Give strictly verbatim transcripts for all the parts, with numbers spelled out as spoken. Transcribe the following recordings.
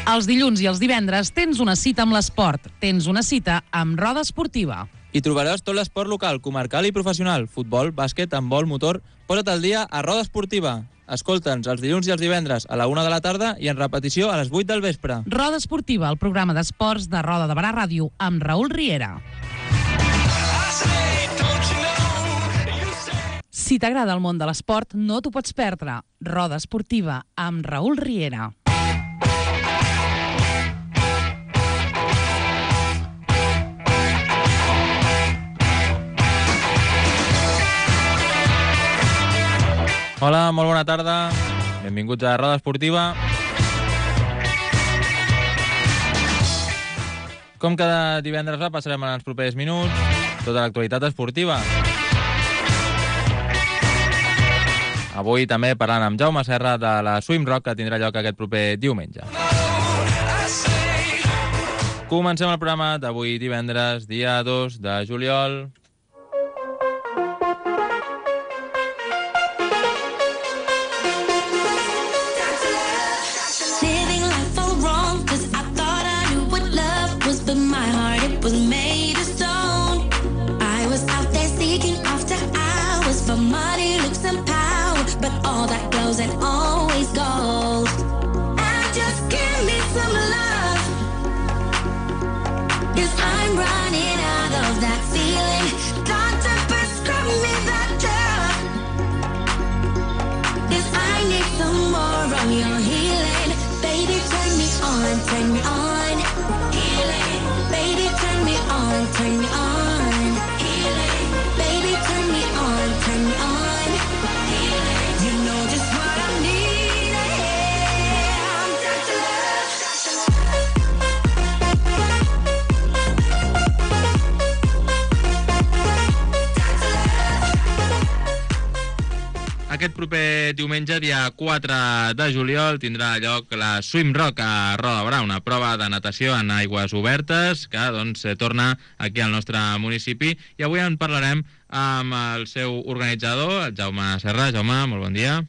Els dilluns i els divendres tens una cita amb l'esport. Tens una cita amb Roda Esportiva. Hi trobaràs tot l'esport local, comarcal i professional. Futbol, bàsquet, handbol, motor... Posa't al dia a Roda Esportiva. Escolta'ns els dilluns i els divendres a la una de la tarda i en repetició a les vuit del vespre. Roda Esportiva, el programa d'esports de Roda de Barà Ràdio, amb Raül Riera. Si t'agrada el món de l'esport, no t'ho pots perdre. Roda Esportiva, amb Raül Riera. Hola, molt bona tarda. Benvinguts a Roda Esportiva. Com cada divendres repassarem en els propers minuts tota l'actualitat esportiva. Avui també parlant amb Jaume Serra de la Swim Rock, que tindrà lloc aquest proper diumenge. Comencem el programa d'avui divendres, dia dos de juliol. And always gold. And just give me some love, 'cause I'm running out of that feeling. Doctor, prescribe me that drug, 'cause I need some more of your healing. Baby, turn me on, turn me on. Healing. Baby, turn me on, turn me on. Healing. Baby, turn me on, turn me on. Healing. You know just what I need. I'm Doctor Love. Aquest proper diumenge, dia quatre de juliol, tindrà lloc la Swim Rock a Roda de Barà, una prova de natació en aigües obertes que doncs, torna aquí al nostre municipi. I avui en parlarem amb el seu organitzador, el Jaume Serra. Jaume, molt bon dia.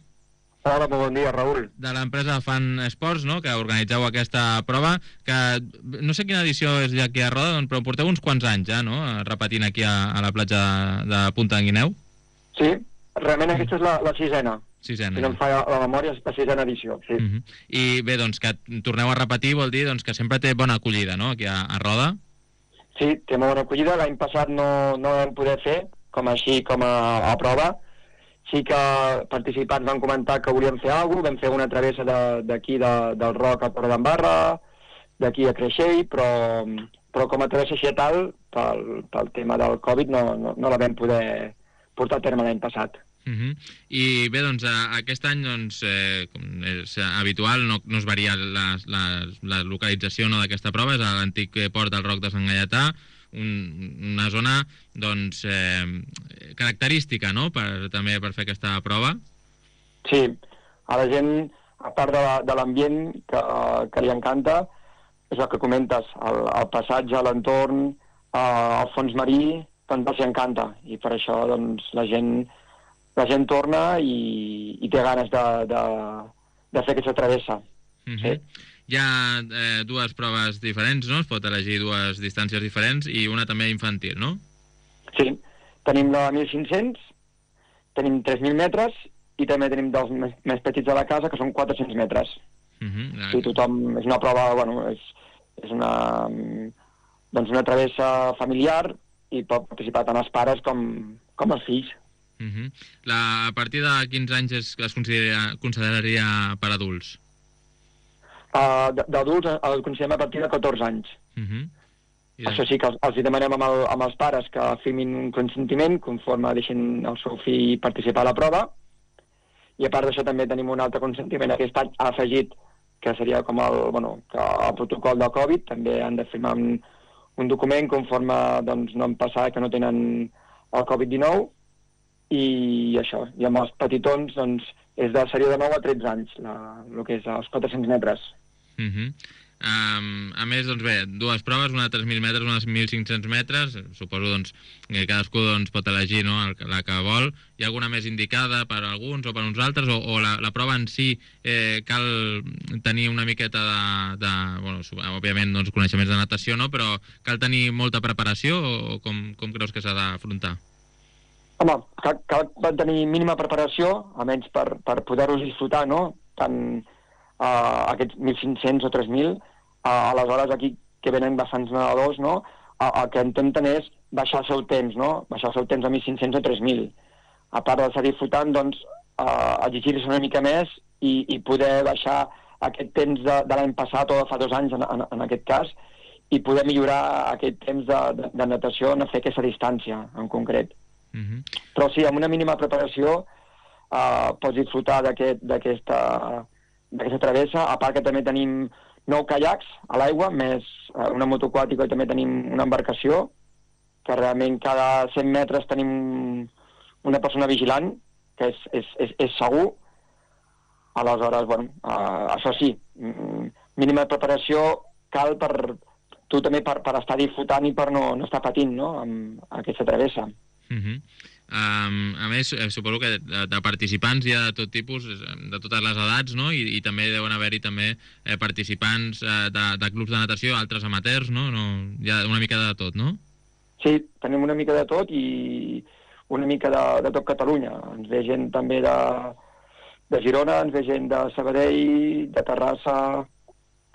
Hola, molt bon dia, Raül. De l'empresa Fan Esports, no?, que organitzeu aquesta prova, que no sé quina edició és ja aquí a Roda, però porteu uns quants anys ja, no?, repetint aquí a, a la platja de, de Punta d'en Guineu. Sí, realment aquesta és la, la sisena. Sisena. Si no em fa la memòria, és la sisena edició, sí. Uh-huh. I bé, doncs, que torneu a repetir vol dir doncs, que sempre té bona acollida, no?, aquí a, a Roda. Sí, té molt bona acollida. L'any passat no, no vam poder fer, com així, com a, a prova. Sí que participants van comentar que volien fer alguna cosa, vam fer una travessa d'aquí de, de, del Roc a Torredembarra, d'aquí a Creixell, però, però com a travessa així tal, pel, pel tema del Covid, no, no, no la vam poder portar a terme l'any passat. Uh-huh. I bé, doncs, aquest any, doncs, eh, com és habitual, no, no es varia la, la, la localització, no, d'aquesta prova, és a l'antic port del Roc de Sant Gaietà, un, una zona, doncs, eh, característica, no?, per, també per fer aquesta prova. Sí, a la gent, a part de l'ambient que, que li encanta, és el que comentes, el, el passatge a l'entorn, eh, el fons marí, doncs els encanta, i per això, doncs, la gent... la gent torna i, i té ganes de, de, de fer aquesta travessa. Uh-huh. Sí. Hi ha eh, dues proves diferents, no? Es pot elegir dues distàncies diferents i una també infantil, no? Sí. Tenim la mil cinc-cents, tenim tres mil metres i també tenim dels més, més petits de la casa, que són quatre-cents metres. Uh-huh. I tothom... És una prova, bueno, és, és una, doncs una travessa familiar i pot participar tant els pares com, com els fills. Uh-huh. La, a partir de quins anys es, es considera, consideraria per adults? Uh, D'adults el considerem a partir de catorze anys. Uh-huh. I Això sí que els, els demanem amb, el, amb els pares que firmin un consentiment conforme deixin el seu fill participar a la prova, i a part d'això també tenim un altre consentiment aquest any afegit, que seria com el, bueno, que el protocol del Covid, també han de firmar un, un document conforme doncs, no han passat, que no tenen el Covid dinou, i això, i amb els petitons doncs, és de, seria de nou a tretze anys, la, el que és els quatre-cents metres. Uh-huh. Um, a més, doncs bé, dues proves, una de tres mil metres, una de mil cinc-cents metres. Suposo doncs, que cadascú doncs, pot elegir, no?, el, la que vol. Hi ha alguna més indicada per a alguns o per a uns altres? O, o la, la prova en si eh, cal tenir una miqueta de... de bueno, òbviament, doncs, coneixements de natació, no?, però cal tenir molta preparació o com, com creus que s'ha d'afrontar? Home, cal, cal tenir mínima preparació, almenys per, per poder-los disfrutar, no?, tant uh, aquests mil cinc-cents o tres mil, uh, aleshores aquí que venen bastants nedadors, no?, uh, el que intenten és baixar el seu temps, no?, baixar el seu temps a mil cinc-cents o tres mil. A part d'estar disfrutant, doncs, uh, exigir-se una mica més i, i poder baixar aquest temps de, de l'any passat o de fa dos anys, en, en, en aquest cas, i poder millorar aquest temps de, de, de natació en fer aquesta distància, en concret. Uh-huh. Però sí, amb una mínima preparació uh, pots disfrutar d'aquesta travessa, a part que també tenim nou caiacs a l'aigua, més uh, una moto aquàtica i també tenim una embarcació, que realment cada cent metres tenim una persona vigilant, que és, és, és, és segur. Aleshores, bueno, uh, això sí, mínima preparació cal per tu també per, per estar disfrutant i per no, no estar patint, no?, amb aquesta travessa. Uh-huh. um, a més, eh, suposo que de, de participants hi ha de tot tipus, de totes les edats, no? I, i també deuen haver-hi també eh, participants eh, de, de clubs de natació, altres amateurs, no? No? Hi ha una mica de tot, no? Sí, tenim una mica de tot i una mica de, de tot Catalunya. Ens ve gent també de, de Girona, ens ve gent de Sabadell, de Terrassa,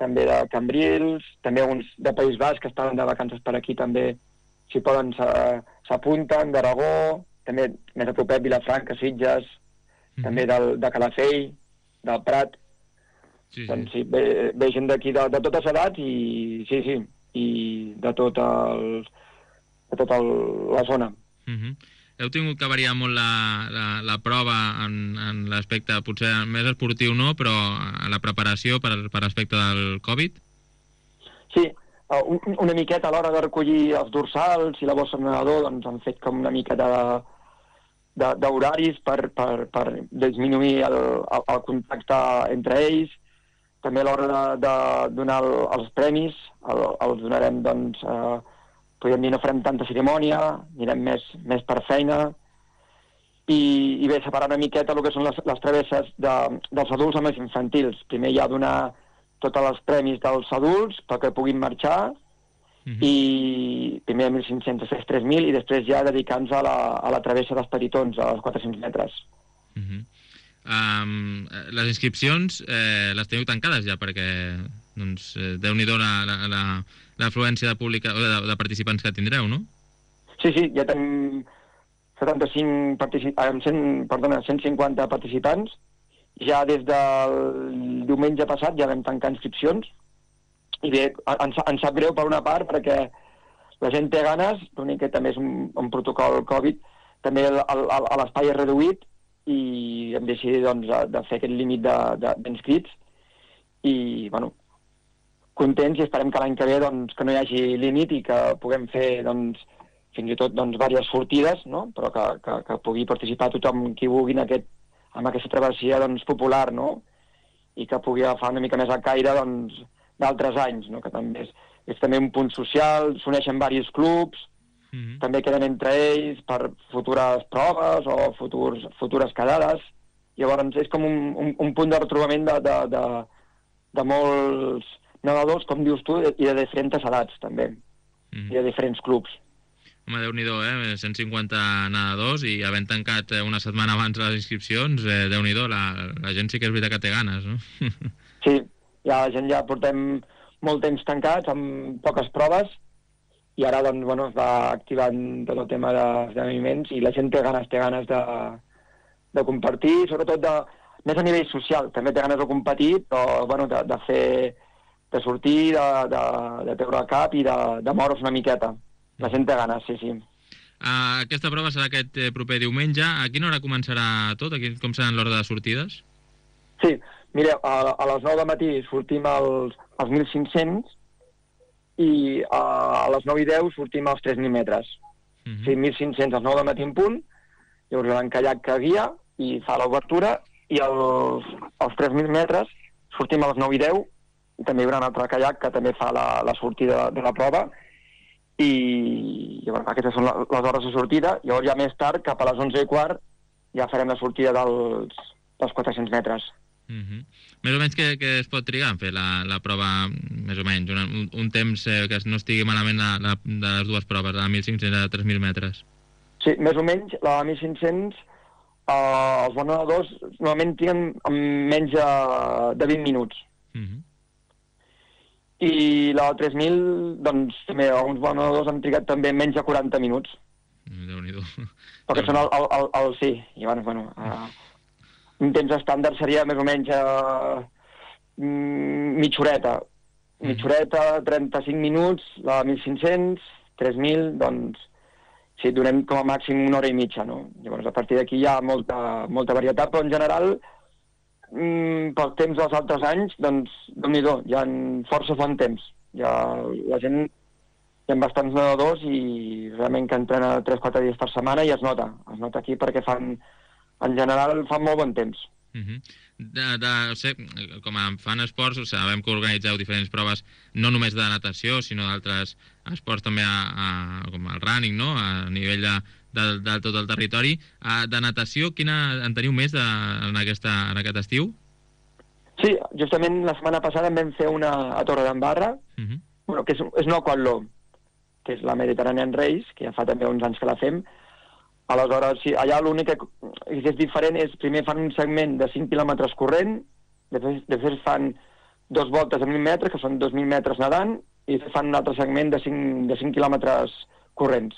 també de Cambrils, també uns de País Basc que estaven de vacances per aquí també, si poden s'apunten, d'Aragó, també més a propet Vilafranca, Sitges, mm-hmm. també del, de Calafell, del Prat. Sí, sí. Doncs sí, ve, ve gent d'aquí de, de totes edats i sí, sí, i de tot el, de tota el, la zona. Mm-hmm. Heu tingut que variar molt la, la, la prova en, en l'aspecte potser més esportiu, no?, però a la preparació per, per aspecte del Covid? Sí, Uh, un, una miqueta a l'hora de recollir els dorsals i la bossa de nedador, doncs han fet com una mica de d'horaris per, per, per disminuir el, el, el contacte entre ells. També a l'hora de, de donar el, els premis, el, els donarem, doncs, uh, podríem dir, no farem tanta cerimònia, anirem més, més per feina, i, i bé, separar una miqueta el que són les, les travesses de, dels adults amb els infantils. Primer ja donar tots els premis dels adults perquè puguin marxar, uh-huh. i primer mil cinc-cents, després tres mil, i després ja dedicant-nos a, la, a la travessa dels petitons, als quatre-cents metres. Uh-huh. um, les inscripcions eh, les teniu tancades ja, perquè doncs, eh, déu-n'hi-do l'afluència de, pública, de, de participants que tindreu, no? Sí, sí, ja tenim setanta-cinc participants, cent, perdona, cent cinquanta participants. Ja des del diumenge passat ja vam tancar inscripcions i bé, ens, ens sap greu per una part perquè la gent té ganes, l'únic que també és un, un protocol Covid, també l'espai és reduït i hem decidit doncs, de fer aquest límit d'inscrits i, bueno, contents i esperem que l'any que ve doncs, que no hi hagi límit i que puguem fer doncs, fins i tot doncs, diverses sortides, no?, però que, que, que pugui participar tothom qui vulgui en aquest amb aquesta travessia doncs, popular, no?, i que pugui agafar una mica més el caire doncs, d'altres anys, no?, que també és, és també un punt social, s'uneixen diversos clubs, mm-hmm. també queden entre ells per futures proves o futurs, futures quedades. Llavors és com un, un, un punt de retrobament de, de, de, de molts nedadors, com dius tu, i de diferents edats també, mm-hmm. i de diferents clubs. Home, Déu-n'hi-do, eh? cent cinquanta nedadors i havent tancat una setmana abans les inscripcions, eh, Déu-n'hi-do, la, la gent sí que és veritat que té ganes, no? Sí, ja la gent ja portem molt temps tancats, amb poques proves, i ara doncs, bueno, es va activant tot el tema d'esdeveniments i la gent té ganes, té ganes de, de compartir, sobretot de, més a nivell social, també té ganes de competir, però bueno, de, de fer, de sortir, de, de, de treure el cap i de, de moure's una miqueta. La gent té ganes, sí, sí. Uh, aquesta prova serà aquest eh, proper diumenge. A quina hora començarà tot? Aquí, com seran l'ordre de sortides? Sí, mireu, a, a les nou del matí sortim als, als mil cinc-cents i a, a les nou i deu sortim als tres mil metres. Uh-huh. Sí, mil cinc-cents als nou del matí en punt, llavors hi ha un caiac que guia i fa l'obertura, i als, als tres mil metres sortim a les nou i deu i també hi haurà un altre caiac que també fa la, la sortida de la prova, i, i bueno, aquestes són les hores de sortida. Llavors ja més tard, cap a les onze i quart, ja farem la sortida dels, dels quatre-cents metres. Uh -huh. Més o menys què, què es pot trigar en fer la, la prova, més o menys, un, un temps eh, que no estigui malament la, la, de les dues proves, la mil cinc-cents i la tres mil metres? Sí, més o menys, la mil cinc-cents, eh, els bons nedadors normalment triguen menys de, de vint minuts. Uh -huh. I la tres mil, doncs, també, alguns bons nedadors han trigat també menys de quaranta minuts. Déu-n'hi-do. Perquè són el, el, el, el sí, i bueno, bueno uh, un temps estàndard seria més o menys uh, mitja horeta. Mitja horeta, trenta-cinc minuts, la mil cinc-cents, tres mil, doncs, sí, donem com a màxim una hora i mitja, no? Llavors, a partir d'aquí hi ha molta, molta varietat, però en general, mm, pel temps dels altres anys, doncs, déu-n'hi-do, hi ha força bon temps. Hi ha, la gent, hi ha bastants nedadors i realment que entrena tres o quatre dies per setmana i es nota, es nota aquí perquè fan, en general, fan molt bon temps. Uh -huh. de, de, o sigui, com a fan esports, o sigui, sabem que organitzeu diferents proves, no només de natació, sinó d'altres esports també a, a, com el running, no? A nivell de, de, de tot el territori. A, de natació, quina en teniu més de, en, aquesta, en aquest estiu? Sí, justament la setmana passada en vam fer una a Torredembarra, uh -huh. bueno, que és, és no Quatló, que és la Mediterranean Race, que ja fa també uns anys que la fem. Aleshores, sí, allà l'únic que és diferent és, primer fan un segment de cinc quilòmetres corrent, després, després fan dos voltes de mil metres, que són dos mil metres nedant, i fan un altre segment de cinc, de cinc quilòmetres corrents.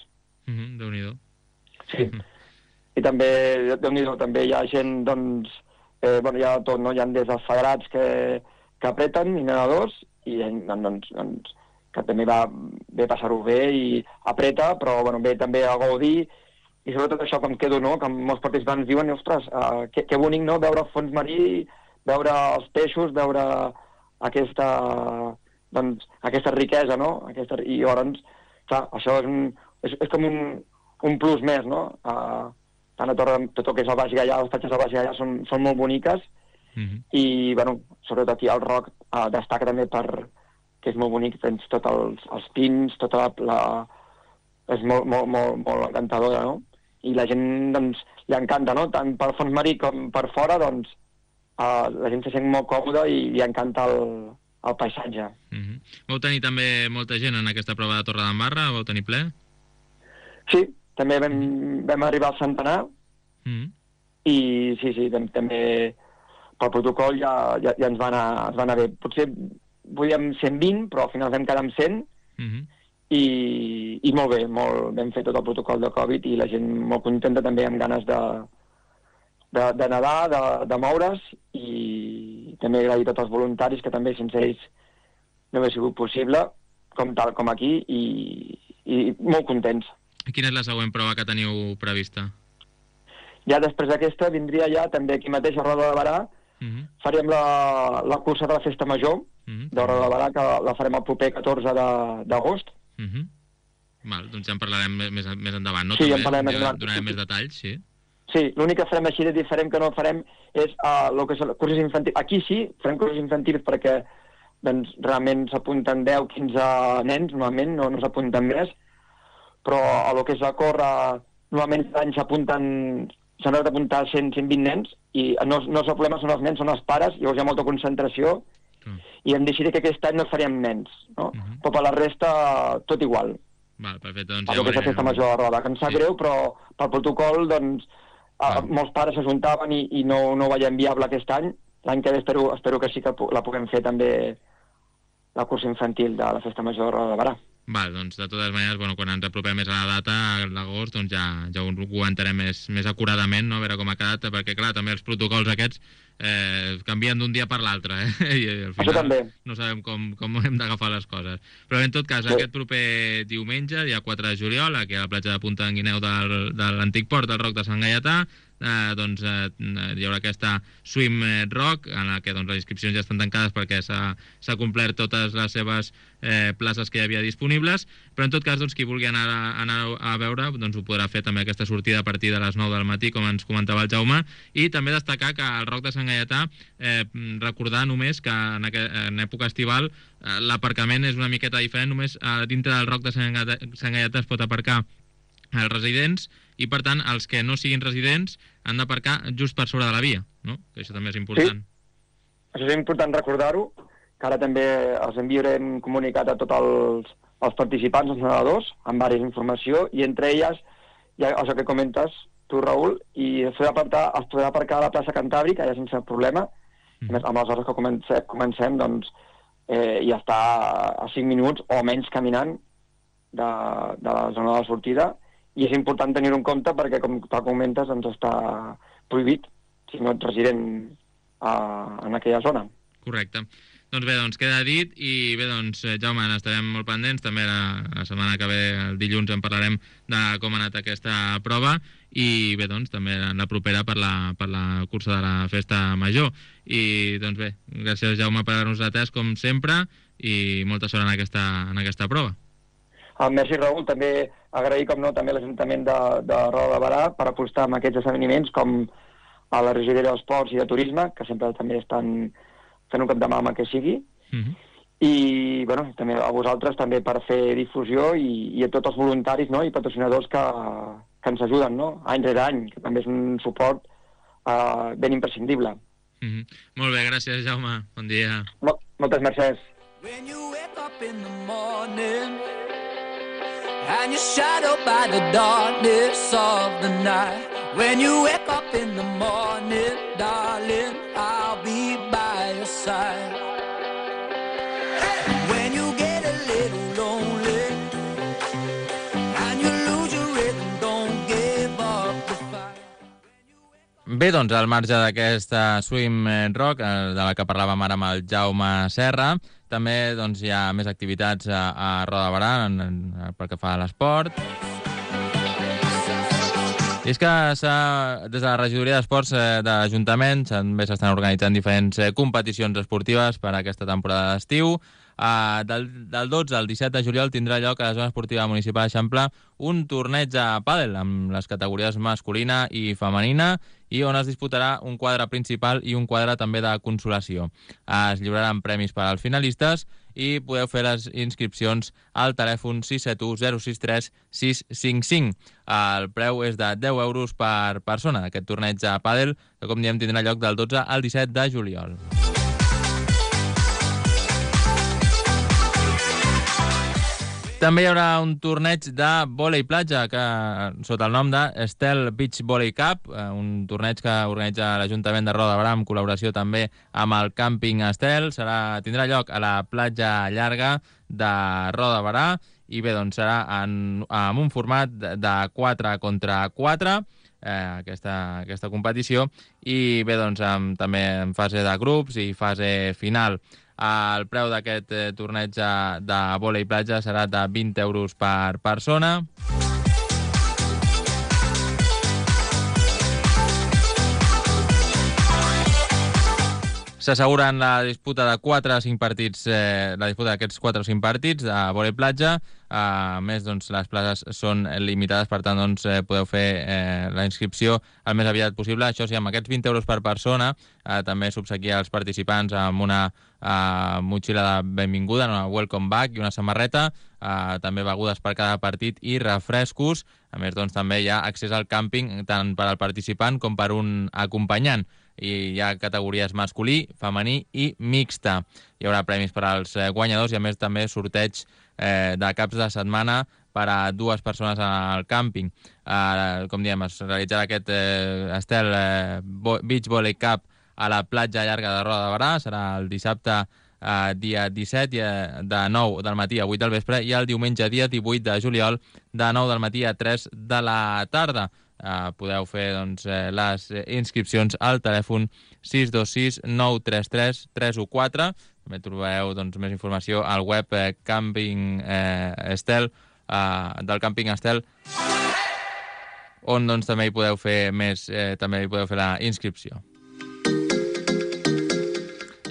Uh -huh, Déu-n'hi-do. Sí. Uh -huh. I també, Déu-n'hi-do, també hi ha gent, doncs, eh, bueno, hi ha tot, no? Hi ha des dels federats que, que apreten, i nedadors, i doncs, doncs que també va bé passar-ho bé i apreta, però bueno, bé també a gaudir. I sobretot això, com quedo, no?, que molts participants diuen, ostres, uh, que, que bonic, no?, veure el fons marí, veure els peixos, veure aquesta, doncs, aquesta riquesa, no?, aquesta, i llavors, clar, això és, un, és, és com un, un plus més, no?, uh, tant a Torre, tot el que és el Baix Gaià, les platges del Baix Gaià són, són molt boniques, uh-huh. I, bueno, sobretot aquí el Roc uh, destaca també per, que és molt bonic, tens tots els, els pins, tota la, la és molt, molt, molt, molt encantadora, no?, i la gent, doncs, li encanta, no?, tant pel fons marí com per fora, doncs, uh, la gent se sent molt còmoda i li encanta el, el paisatge. Uh-huh. Vau tenir també molta gent en aquesta prova de Torredembarra? Vau tenir ple? Sí, també vam, uh-huh. vam arribar al centenar, uh-huh. i sí, sí, també pel protocol ja, ja, ja ens, va anar, ens va anar bé. Potser volíem cent vint, però al final vam quedar amb cent, uh-huh. I, i molt bé, molt, vam fer tot el protocol de Covid i la gent molt contenta també, amb ganes de, de, de nedar, de, de moure's, i també agrair a tots els voluntaris, que també sense ells no hauria sigut possible, com tal com aquí, i, i molt contents. I quina és la següent prova que teniu prevista? Ja després d'aquesta vindria ja també aquí mateix a Roda de Barà, uh-huh. faríem la, la cursa de la Festa Major, uh-huh. de Roda de Barà, que la farem el proper catorze d'agost. Uh-huh. Val, doncs ja en parlarem més, més endavant, no? Sí, també, en parlarem més endavant. Donarem més detalls, sí. Sí, l'únic que farem així de diferent que no farem és uh, el que són cursos infantils. Aquí sí, farem cursos infantils perquè doncs, realment s'apunten deu quinze nens, normalment, no, no s'apunten més, però a lo que és la córrer, normalment l'any s'apunten, s'han d'apuntar cent a cent vint nens, i no, no és el problema, són els nens, són els pares, llavors hi ha molta concentració, uh. i hem decidit que aquest any no faríem nens, no? Uh-huh. Però per la resta, tot igual. Val, perfecte, doncs ja ja ho veurem. Festa Major de Roda, que em sap sí. greu, però pel protocol, doncs, uh, molts pares s'ajuntaven i, i no, no ho veiem viable aquest any. L'any que ve espero, espero que sí que la puguem fer també la cursa infantil de la Festa Major de Roda de Barà. Val, doncs de totes maneres, bueno, quan ens apropem més a la data, a l'agost, doncs ja, ja ho comentarem més, més acuradament, no? A veure com ha quedat, perquè clar, també els protocols aquests eh, canvien d'un dia per l'altre, eh? I al final això també. No sabem com, com hem d'agafar les coses. Però en tot cas, sí. Aquest proper diumenge, dia quatre de juliol, aquí a la platja de Punta d'en Guineu del, de l'antic port del Roc de Sant Gaietà, eh, doncs, eh, hi haurà aquesta Swim Rock, en la que doncs, les inscripcions ja estan tancades perquè s'ha complert totes les seves eh, places que hi havia disponibles, però en tot cas, doncs, qui vulgui anar a, anar a veure doncs, ho podrà fer també aquesta sortida a partir de les nou del matí, com ens comentava el Jaume, i també destacar que al Roc de Sant Gaietà, eh, recordar només que en, en època estival eh, l'aparcament és una miqueta diferent, només eh, dintre del Roc de Sant Gaietà, Sant Gaietà es pot aparcar els residents, i per tant els que no siguin residents han d'aparcar just per sobre de la via, no? Que això també és important. Sí, això és important recordar-ho, que ara també els enviarem comunicat a tots els, els participants, els nedadors, amb diversa informació, i entre elles, ja, això que comentes tu, Raül, i es podrà aparcar, es podrà aparcar a la plaça Cantàbrica, ja sense problema, mm. més, amb les hores que comencem, comencem doncs, eh, ja està a cinc minuts o menys caminant de, de la zona de la sortida, i és important tenir-ho en compte perquè, com tu comentes, doncs està prohibit si no ets resident a, en aquella zona. Correcte. Doncs bé, doncs queda dit, i bé, doncs, Jaume, n'estarem molt pendents, també la, la setmana que ve, el dilluns, en parlarem de com ha anat aquesta prova, i bé, doncs, també la propera per la, per la cursa de la Festa Major. I, doncs bé, gràcies, Jaume, per haver-nos atès, com sempre, i molta sort en aquesta, en aquesta prova. Ah, merci, Raül. També agrair, com no, també l'Ajuntament de, de Roda de Barà per apostar en aquests esdeveniments, com a la regidoria d'Esports i de Turisme, que sempre també estan fent un cap de mà amb el que sigui. Uh-huh. I, bueno, també a vosaltres també per fer difusió, i, i a tots els voluntaris, no?, i patrocinadors que, que ens ajuden, no?, any rere any, que també és un suport uh, ben imprescindible. Uh-huh. Molt bé, gràcies, Jaume. Bon dia. Mol moltes mercès. When you wake up in the morning and you're shadowed by the darkness of the night, when you wake up in the morning, darling, I'll be by your side. When you get a little lonely and you lose your rhythm, don't give up the fight. Bé, doncs, al marge d'aquesta Swim Rock, de la que parlàvem ara amb el Jaume Serra, també doncs, hi ha més activitats a, a Roda de Barà en, en, pel que fa a l'esport. I és que des de la regidoria d'esports eh, de l'Ajuntament també s'estan organitzant diferents eh, competicions esportives per a aquesta temporada d'estiu. Uh, del, del dotze al disset de juliol tindrà lloc a la zona esportiva municipal d'Eixample un torneig a pàdel amb les categories masculina i femenina, i on es disputarà un quadre principal i un quadre també de consolació. Uh, es lliuraran premis per als finalistes i podeu fer les inscripcions al telèfon sis set u zero sis tres sis cinc cinc. El preu és de deu euros per persona d'aquest torneig a pàdel, que com diem tindrà lloc del dotze al disset de juliol. També hi haurà un torneig de vòlei platja que, sota el nom de Estel Beach Volley Cup, un torneig que organitza l'Ajuntament de Roda de Barà en col·laboració també amb el Càmping Estel. Serà, tindrà lloc a la platja llarga de Roda de Barà, i bé, doncs serà en, en un format de quatre contra quatre, eh, aquesta, aquesta competició, i bé, doncs amb, també en fase de grups i fase final. El preu d'aquest eh, torneig de, de vòlei platja serà de vint euros per persona. S'asseguren la disputa de quatre a cinc partits, eh, la disputa d'aquests quatre o cinc partits de vòlei platja. A més, doncs, les places són limitades, per tant, doncs, eh, podeu fer eh, la inscripció el més aviat possible. Això sí, amb aquests vint euros per persona, eh, també s'obsequia als participants amb una eh, motxilla de benvinguda, una welcome bag i una samarreta, eh, també begudes per cada partit i refrescos. A més, doncs, també hi ha accés al càmping tant per al participant com per un acompanyant. I hi ha categories masculí, femení i mixta. Hi haurà premis per als guanyadors i, a més, també sorteig eh, de caps de setmana per a dues persones al càmping. Eh, com diem, es realitzarà aquest eh, Estel eh, Beach Volley Cup a la platja llarga de Roda de Barà. Serà el dissabte eh, dia disset de nou del matí a vuit del vespre, i el diumenge dia divuit de juliol de nou del matí a tres de la tarda. Uh, podeu fer doncs, eh, les inscripcions al telèfon sis dos sis nou tres tres tres u quatre. També trobareu doncs, més informació al web eh, Camping eh, Estel, eh, del Càmping Estel, on doncs, també hi podeu fer més, eh, també hi podeu fer la inscripció.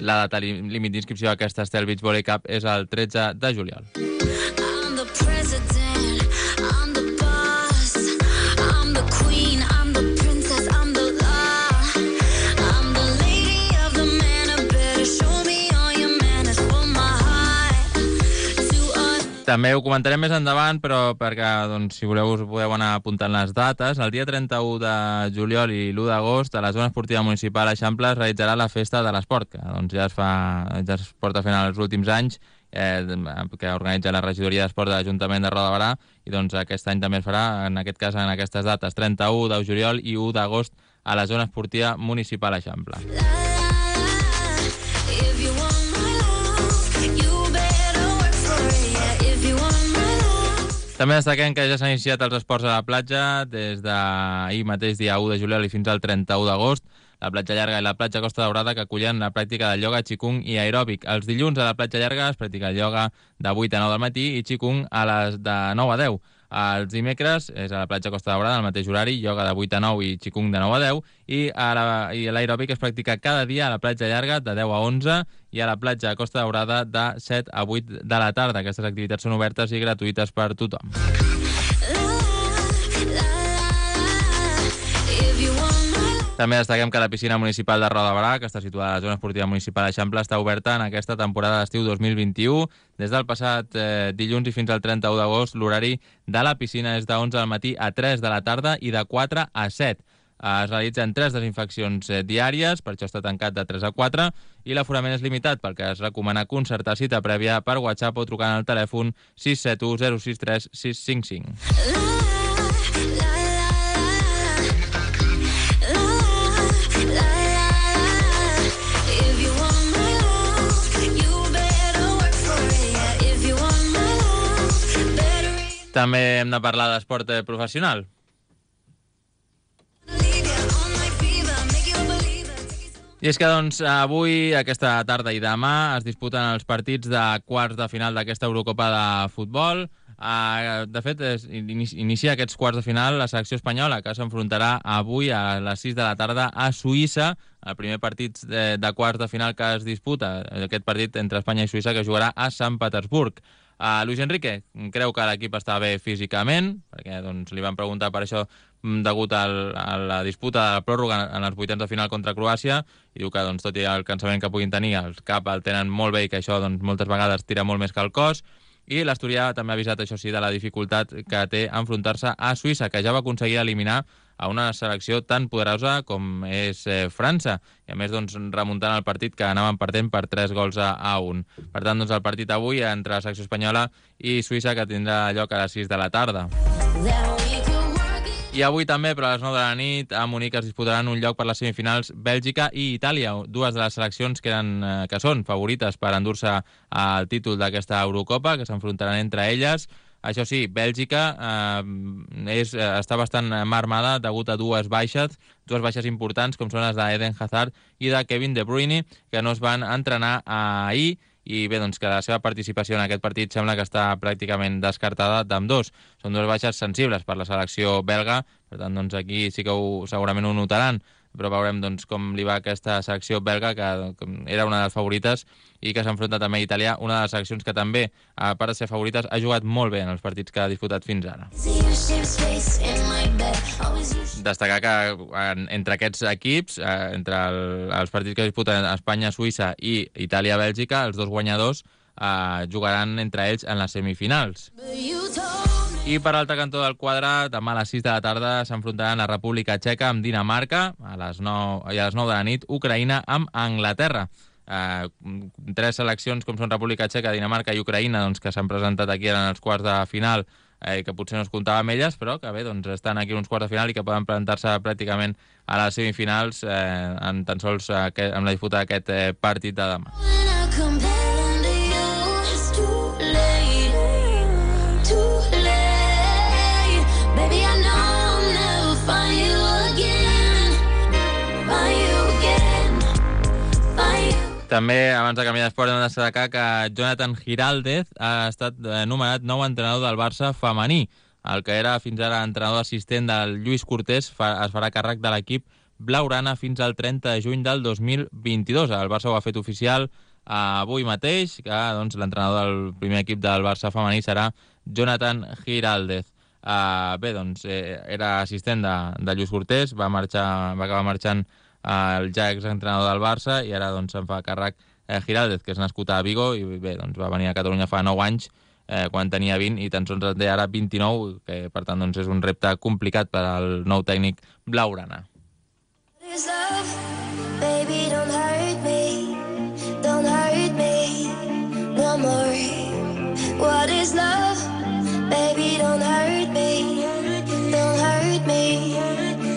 La data límit d'inscripció a aquesta Estel Beach Volley Cup és el tretze de juliol. I'm the president, I'm the boss, I'm the queen, I'm the princess, I'm the law, I'm the lady of the manor, better show me all your manners for my heart to us. També ho comentarem més endavant, però perquè, doncs, si voleu, us podeu anar apuntant les dates. El dia trenta-u de juliol i l'u d'agost, a la zona esportiva municipal Eixample es realitzarà la festa de l'esport, que doncs, ja, es fa, ja es porta fent els últims anys, eh, que organitza la regidoria d'esport de l'Ajuntament de Roda de Berà, i doncs aquest any també es farà, en aquest cas, en aquestes dates, trenta-u de juliol i u d'agost, a la zona esportiva municipal Eixample. If you want my love, you better work for it. Yeah, if you want my love. També destaquem que ja s'han iniciat els esports a la platja des d'ahir mateix, dia u de juliol, i fins al trenta-u d'agost. La platja llarga i la platja Costa Daurada, que acullen la pràctica de ioga, qigong i aeròbic. Els dilluns a la platja llarga es practica el ioga de vuit a nou del matí i qigong a les de nou a deu. Els dimecres és a la platja Costa Daurada, al mateix horari, ioga de vuit a nou i qigong de nou a deu, i a la- i l'aeròbic es practica cada dia a la platja llarga de deu a onze i a la platja Costa Daurada de set a vuit de la tarda. Aquestes activitats són obertes i gratuïtes per tothom. If you want my love. També destaquem que la piscina municipal de Roda de Berà, que està situada a la zona esportiva municipal d'Eixample, està oberta en aquesta temporada d'estiu dos mil vint-i-u. Des del passat eh, dilluns i fins al trenta-u d'agost, l'horari de la piscina és de onze del matí a tres de la tarda i de quatre a set. Eh, Es realitzen tres desinfeccions eh, diàries, per això està tancat de tres a quatre, i l'aforament és limitat, perquè es recomana concertar cita prèvia per WhatsApp o trucant al telèfon sis set u zero sis tres sis cinc cinc. If you want my love, you better work for it. Yeah, if you want my love, better També hem de parlar d'esport eh, professional. leave you on my fever, make you believe it. I és que, doncs, avui, aquesta tarda i demà es disputen els partits de quarts de final d'aquesta Eurocopa de futbol. Uh, de fet, es, inicia, inicia aquests quarts de final la selecció espanyola, que s'enfrontarà avui a les sis de la tarda a Suïssa, el primer partit de, de quarts de final que es disputa, aquest partit entre Espanya i Suïssa, que jugarà a Sant Petersburg. Uh, Luis Enrique creu que l'equip està bé físicament, perquè doncs, li van preguntar per això degut al, a la disputa de la pròrroga en els vuitens de final contra Croàcia, i diu que doncs, tot i el cansament que puguin tenir, el cap el tenen molt bé i que això doncs, moltes vegades tira molt més que el cos. I l'Asturià també ha avisat, això sí, de la dificultat que té enfrontar-se a Suïssa, que ja va aconseguir eliminar a una selecció tan poderosa com és eh, França, i a més doncs, remuntant el partit que anaven perdent per tres gols a, a un. Per tant, doncs, el partit avui entre la selecció espanyola i Suïssa, que tindrà lloc a les sis de la tarda. Then we could work it. I avui també, però a les nou de la nit, a Munic es disputaran un lloc per les semifinals Bèlgica i Itàlia, dues de les seleccions que, eren, eh, que són favorites per endur-se al títol d'aquesta Eurocopa, que s'enfrontaran entre elles. Això sí, Bèlgica eh, és, eh, està bastant marmada degut a dues baixes, dues baixes importants, com són les d'Eden Hazard i de Kevin De Bruyne, que no es van entrenar ahir, i bé, doncs que la seva participació en aquest partit sembla que està pràcticament descartada d'ambdós. Són dues baixes sensibles per la selecció belga, per tant, doncs aquí sí que ho, segurament ho notaran, però veurem doncs, com li va aquesta selecció belga, que, que era una de les favorites i que s'enfronta també a Itàlia, una de les seleccions que també, a part de ser favorites, ha jugat molt bé en els partits que ha disputat fins ara. See your shape space in my bed. Always you. Destacar que en, entre aquests equips, eh, entre el, els partits que disputen Espanya, Suïssa i Itàlia-Bèlgica, els dos guanyadors eh, jugaran entre ells en les semifinals. But you told me. I per l'altre cantó del quadre, demà a les sis de la tarda s'enfrontaran la República Txeca amb Dinamarca, a les nou, i a les nou de la nit Ucraïna amb Anglaterra. Eh, tres seleccions com són República Txeca, Dinamarca i Ucraïna, doncs, que s'han presentat aquí en els quarts de final, eh, que potser no es comptava amb elles, però que bé, doncs, estan aquí en uns quarts de final i que poden presentar-se pràcticament a les semifinals eh, en tan sols eh, que, amb la disputa d'aquest eh, partit de demà. When I come home to you, it's too late, too late. Baby, I know I'll never find you again, find you again, find you. També, abans de canviar d'esport, hem de destacar que Jonathan Giraldez ha estat eh, nomenat nou entrenador del Barça femení. el que era fins ara entrenador assistent del Lluís Cortés fa, es farà càrrec de l'equip blaugrana fins al trenta de juny del dos mil vint-i-dos. El Barça ho ha fet oficial avui mateix, que doncs, l'entrenador del primer equip del Barça femení serà Jonathan Giraldez. Uh, bé, doncs, eh, era assistent de, de Lluís Cortés, va, marxar, va acabar marxant uh, el ja exentrenador del Barça i ara doncs, se'n fa càrrec eh, Giraldez, que és nascut a Vigo i bé, doncs, va venir a Catalunya fa nou anys, eh, quan tenia vint i tan sols en té ara vint-i-nou, que per tant doncs, és un repte complicat per al nou tècnic blaugrana. Baby, don't hurt me, don't hurt me no more. What is love? Baby, don't hurt me, don't hurt me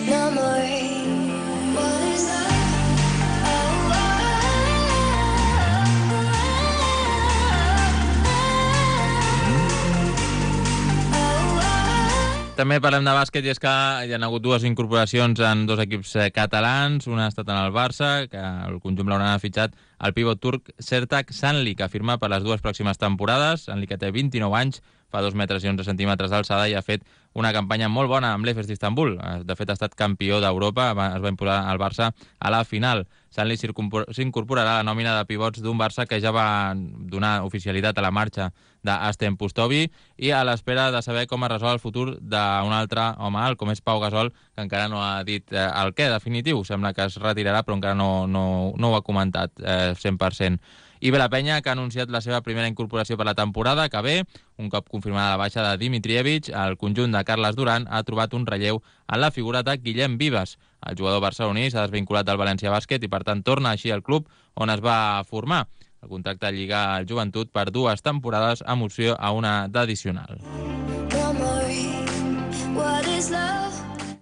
no more. What is love? Oh, oh, oh, oh. També parlem de bàsquet i és que hi ha hagut dues incorporacions en dos equips catalans. Una ha estat en el Barça, que el conjunt blaugrana ha fitxat el pivot turc Sertac Sanli, que firma per les dues pròximes temporades. Sanli, que té vint-i-nou anys, fa dos metres i onze centímetres d'alçada i ha fet una campanya molt bona amb l'Efes d'Istanbul. De fet, ha estat campió d'Europa, es va imposar al Barça a la final. Sanli s'incorporarà a la nòmina de pivots d'un Barça que ja va donar oficialitat a la marxa d'Asten Pustovi i a l'espera de saber com es resol el futur d'un altre home alt, com és Pau Gasol, que encara no ha dit eh, el què definitiu. Sembla que es retirarà, però encara no, no, no ho ha comentat eh, cent per cent. I bé, la penya, que ha anunciat la seva primera incorporació per la temporada, que ve, un cop confirmada la baixa de Dimitrievich, el conjunt de Carles Duran ha trobat un relleu en la figura de Guillem Vives. El jugador barceloní s'ha desvinculat del València Bàsquet i, per tant, torna així al club on es va formar. El contracte lliga al Joventut per dues temporades amb opció a una d'addicional.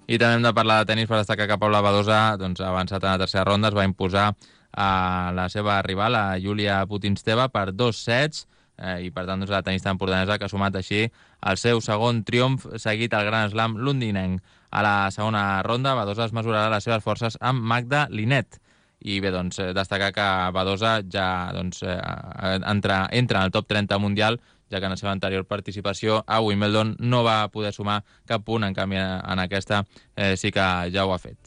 I també hem de parlar de tenis per destacar que Paula Badosa doncs, ha avançat en la tercera ronda, es va imposar a la seva rival, a Júlia Putinsteva, per dos sets, eh, i per tant doncs, la tenista empordanesa que ha sumat així el seu segon triomf seguit al Grand Slam londinenc. A la segona ronda, Badosa es mesurarà les seves forces amb Magda Linet. I bé, doncs, destacar que Badosa ja doncs, eh, entra, entra en el top trenta mundial, ja que en la seva anterior participació a Wimbledon no va poder sumar cap punt, en canvi en aquesta eh, sí que ja ho ha fet.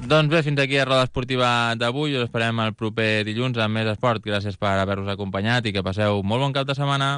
Doncs bé, fins aquí a Roda Esportiva d'avui. Us esperem el proper dilluns amb més esport. Gràcies per haver-vos acompanyat i que passeu molt bon cap de setmana.